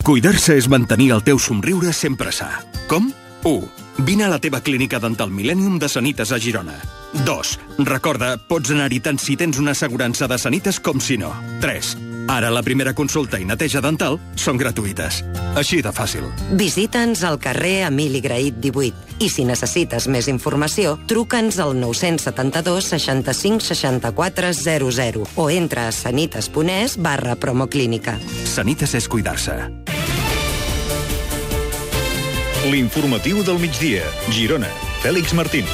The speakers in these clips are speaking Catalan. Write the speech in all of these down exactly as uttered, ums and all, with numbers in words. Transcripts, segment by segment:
Cuidar-se és mantenir el teu somriure sempre sa. Com? u. Vine a la teva clínica dental Millennium de Sanitas a Girona. dos. Recorda, pots anar-hi tant si tens una assegurança de Sanitas com si no. tres. Ara la primera consulta i neteja dental són gratuïtes. Així de fàcil. Visita'ns al carrer Emili Grahit divuit. I si necessites més informació, truca'ns al nou setanta dos seixanta-cinc seixanta-quatre zero zero o entra a sanitas.es barra promoclínica. Sanitas és cuidar-se. L'informatiu del migdia. Girona. Fèlix Martín.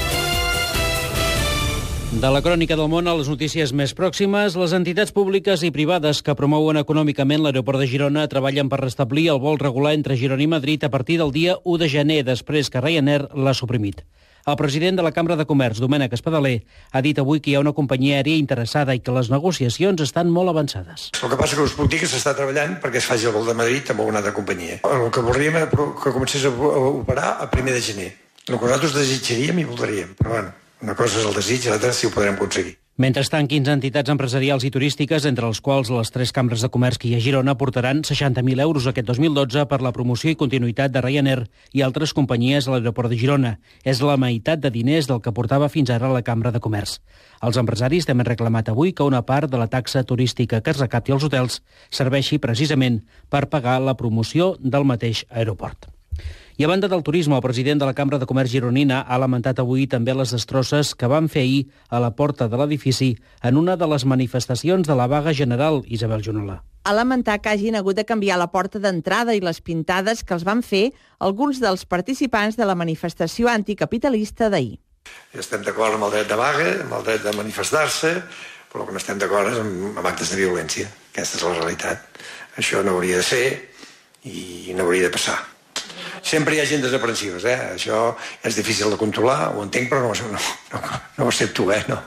De la crònica del món a les notícies més pròximes, les entitats públiques i privades que promouen econòmicament l'aeroport de Girona treballen per restablir el vol regular entre Girona i Madrid a partir del dia u de gener, després que Ryanair l'ha suprimit. El president de la Cambra de Comerç, Domènec Espadaler, ha dit avui que hi ha una companyia aèria interessada i que les negociacions estan molt avançades. El que passa que us puc dir que s'està treballant perquè es faci el vol de Madrid amb alguna altra companyia. El que voldríem és que comencés a operar a primer de gener. El que nosaltres desitjaríem i voldríem, però bueno, una cosa és el desig i l'altra si ho podrem aconseguir. Mentrestant, quinze entitats empresarials i turístiques, entre els quals les tres cambres de comerç que hi ha a Girona, portaran seixanta mil euros aquest dos mil dotze per la promoció i continuïtat de Ryanair i altres companyies a l'aeroport de Girona. És la meitat de diners del que portava fins ara la Cambra de Comerç. Els empresaris també han reclamat avui que una part de la taxa turística que es recapti als hotels serveixi precisament per pagar la promoció del mateix aeroport. I a banda del turisme, el president de la Cambra de Comerç gironina ha lamentat avui també les destrosses que van fer ahir a la porta de l'edifici en una de les manifestacions de la vaga general, Isabel Junola. Ha lamentat que hagin hagut de canviar la porta d'entrada i les pintades que els van fer alguns dels participants de la manifestació anticapitalista d'ahir. Estem d'acord amb el dret de vaga, amb el dret de manifestar-se, però el que no estem d'acord és amb, amb actes de violència. Aquesta és la realitat. Això no hauria de ser i no hauria de passar. Sempre hi ha gent desaprensiva, eh? Això és difícil de controlar, ho entenc, però no, no, no, no ho accepto, eh? No.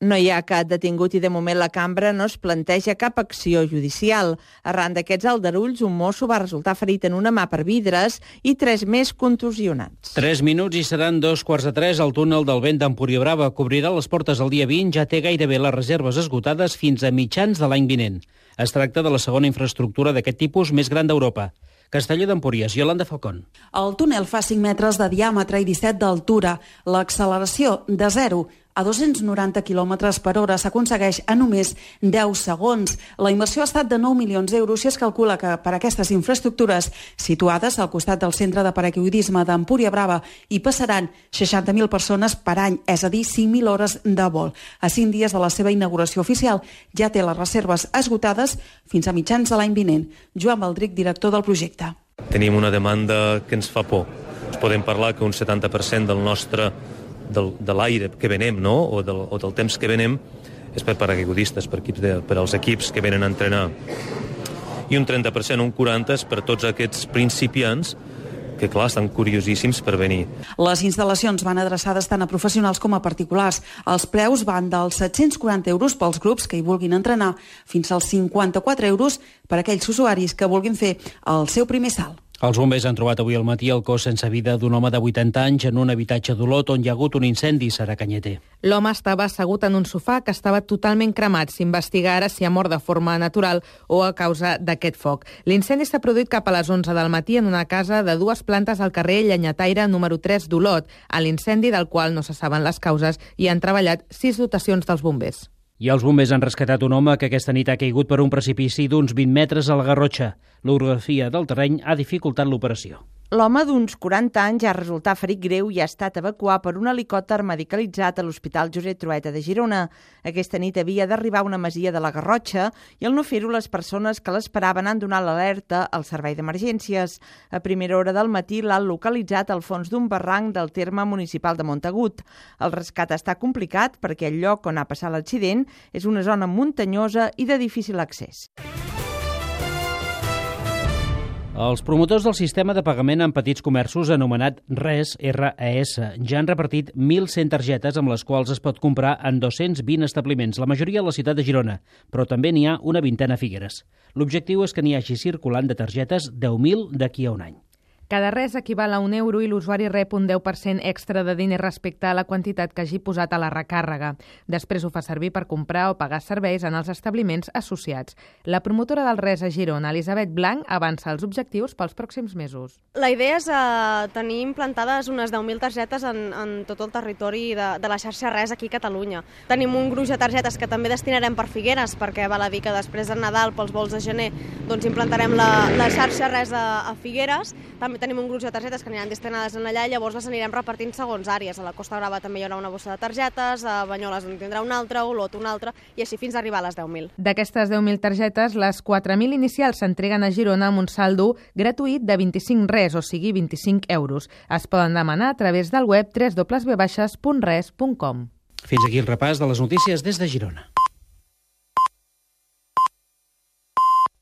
No hi ha cap detingut i de moment la cambra no es planteja cap acció judicial. Arran d'aquests aldarulls, un mosso va resultar ferit en una mà per vidres i tres més contusionats. Tres minuts i seran dos quarts de tres. El túnel del vent d'Empuriabrava cobrirà les portes el dia vint, ja té gairebé les reserves esgotades fins a mitjans de l'any vinent. Es tracta de la segona infraestructura d'aquest tipus més gran d'Europa. Castelló d'Empúries, Iolanda Falcón. El túnel fa cinc metres de diàmetre i disset d'altura. L'acceleració de zero a dos-cents noranta quilòmetres per hora s'aconsegueix en només deu segons. La inversió ha estat de nou milions d'euros i es calcula que per aquestes infraestructures situades al costat del centre de paracaigudisme d'Empúria-Brava hi passaran seixanta mil persones per any, és a dir, cinc mil hores de vol. A cinc dies de la seva inauguració oficial ja té les reserves esgotades fins a mitjans de l'any vinent. Joan Baldric, director del projecte. Tenim una demanda que ens fa por. Ens podem parlar que un setanta per cent del nostre del, de l'aire que venem, no? o, del, o del temps que venem és per paracaigudistes, per, equips de, per als equips que venen a entrenar. I un trenta per cent, un quaranta per cent per tots aquests principiants que, clar, estan curiosíssims per venir. Les instal·lacions van adreçades tant a professionals com a particulars. Els preus van dels set-cents quaranta euros pels grups que hi vulguin entrenar fins als cinquanta-quatre euros per a aquells usuaris que vulguin fer el seu primer salt. Els bombers han trobat avui al matí el cos sense vida d'un home de vuitanta anys en un habitatge d'Olot on hi ha hagut un incendi, Sara Canyeter. L'home estava assegut en un sofà que estava totalment cremat. S'investiga ara si ha mort de forma natural o a causa d'aquest foc. L'incendi s'ha produït cap a les onze del matí en una casa de dues plantes al carrer Llenyataire número tres d'Olot. A l'incendi, del qual no se saben les causes, hi han treballat sis dotacions dels bombers. I els bombers han rescatat un home que aquesta nit ha caigut per un precipici d'uns vint metres a la Garrotxa. L'orografia del terreny ha dificultat l'operació. L'home d'uns quaranta anys ha resultat ferit greu i ha estat evacuat per un helicòpter medicalitzat a l'Hospital Josep Trueta de Girona. Aquesta nit havia d'arribar a una masia de la Garrotxa i al no fer-ho les persones que l'esperaven han donat l'alerta al servei d'emergències. A primera hora del matí l'han localitzat al fons d'un barranc del terme municipal de Montagut. El rescat està complicat perquè el lloc on ha passat l'accident és una zona muntanyosa i de difícil accés. Els promotors del sistema de pagament en petits comerços anomenat RES, R E S, ja han repartit mil cent targetes amb les quals es pot comprar en dos-cents vint establiments, la majoria a la ciutat de Girona, però també n'hi ha una vintena a Figueres. L'objectiu és que n'hi hagi circulant de targetes deu mil d'aquí a un any. Cada res equival a un euro i l'usuari rep un deu per cent extra de diner respecte a la quantitat que hagi posat a la recàrrega. Després ho fa servir per comprar o pagar serveis en els establiments associats. La promotora del res a Girona, Elisabet Blanc, avança els objectius pels pròxims mesos. La idea és eh, tenir implantades unes deu mil targetes en, en tot el territori de, de la xarxa res aquí a Catalunya. Tenim un gruix de targetes que també destinarem per Figueres, perquè val a dir que després de Nadal, pels vols de gener, doncs implantarem la, la xarxa res a, a Figueres. També tenim un gruix de targetes que aniran destinades en allà i llavors les anirem repartint segons àrees. A la Costa Brava també hi haurà una bossa de targetes, a Banyoles en tindrà una altra, a Olot una altra, i així fins a arribar a les deu mil. D'aquestes deu mil targetes, les quatre mil inicials s'entreguen a Girona amb un saldo gratuït de vint-i-cinc res, o sigui vint-i-cinc euros. Es poden demanar a través del web w w w punt res punt com. Fins aquí el repàs de les notícies des de Girona.